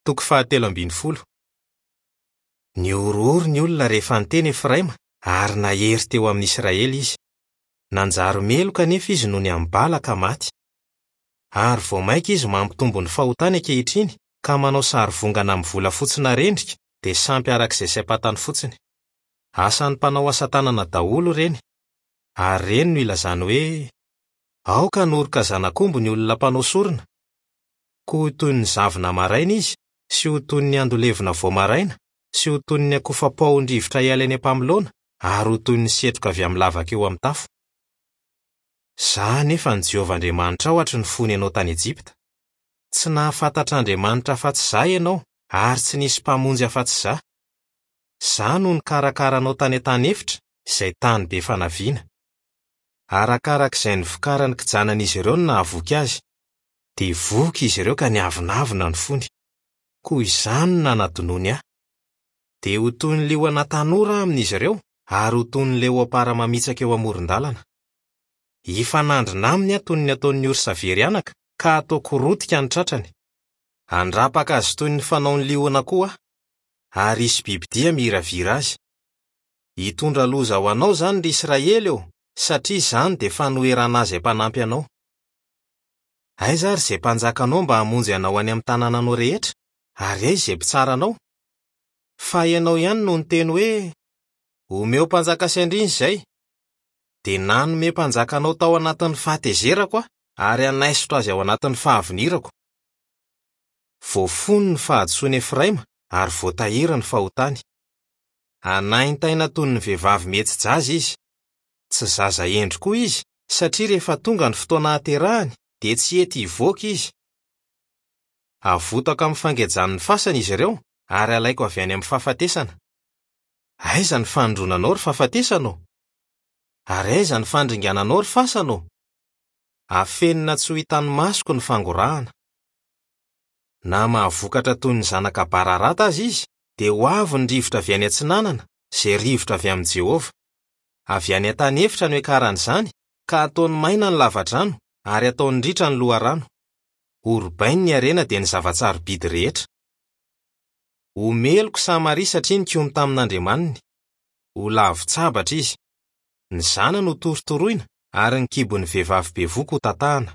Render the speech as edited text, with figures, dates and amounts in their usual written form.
Toko fahatelo ambin'ny folo. Nihorohoro ny olona rehefa niteny Efraima ary nahery teo amin'i Israely izy. Nanjary meloka anefa izy nony amin'ny bala ka maty. Ary vao mainka izy mampitombo ny fahotany ankehitriny ka manao sarivongana amin'ny volafotsy narendrika dia sampy araka izay saim-pantany fotsiny. Asan'ny mpanao asa tanana daholo ireny. Ary ireny no ilazany hoe, Aoka hanoroka zanak'omby ny olona mpanao sorona. Koa ho toy ny zavona maraina izy, sy ho toy ny ando levona vao maraina, sy ho toy ny akofa paohin-drivotra hiala eny am-pamoloana, ary ho toy ny setroka avy amin'ny lavaka eo amin'ny tafo. Izaho anefa no Jehovah Andriamanitrao hatry ny fony ianao tany Ejipta. Tsy nahafantatra Andriamanitra afa-tsy Izaho ianao, ary tsy nisy Mpamonjy afa-tsy Izaho. Izaho no nikarakara anao tany an-tany efitra, izay tany be fanaviana. Arakaraka izay nivokaran'ny kijanan'izy ireo no nahavoky azy. Dia voky izy ireo ka niavonavona ny fony. Koa izany no nanadinoany ahy. Dia ho toy ny liona tanora aho amin'izy ireo, ary ho toy ny leopara mamitsaka eo amoron-dalana. Hifanandrina aminy aho toy ny ataon'ny orsa very anaka, ka hataoko rotika ny tratrany. Handrapaka azy toy ny fanaon'ny liona koa aho, ary hisy bibidia miravira azy. Hitondra loza ho anao izany, ry Israely ô, satria izany dia fanoherana ahy izay mpanampy anao. Aiza ary izay mpanjakanao mba hamonjy anao any amin'ny tanànanao rehetra, ary aiza izay mpitsara anao? Fa ianao ihany no niteny hoe, Omeo mpanjaka sy andriana izay. Dia nanome mpanjaka anao tao anatin'ny fahatezerako aho, ary hanaisotra azy ao anatin'ny fahavinirako. Voafono ny fahadisoan'i Efraima ary voatahiry ny fahotany. Hanaintaina toy ny vehivavy mihetsi-jaza izy. Tsy zaza hendry koa izy, satria rehefa tonga ny fotoana hahaterahany dia tsy hety hivoaka izy. Havotako amin'ny fangejan'ny fasana izy ireo ary halaiko avy any amin'ny fahafatesana. Aiza ny fanindronanao, ry fahafatesana ô? Ary aiza ny fandringananao, ry fasana ô? Afenina tsy ho hitan'ny masoko ny fangorahana. Na mahavokatra toy ny zanaka bararata aza izy, dia ho avy ny rivotra avy any atsinanana, izay rivotra avy amin'i Jehovah. Avy any an-tany efitra no hiakaran'izany, ka hataony maina ny lavadrano, ary hataony ritra ny loharano. Horobainy ny harena dia ny zava-tsarobidy rehetra. Ho meloka Samaria satria nikomy tamin'Andriamaniny. Ho lavo-tsabatra izy. Ny zanany ho torotoroina, ary ny kibon'ny vehivavy bevohoka ho tatahana.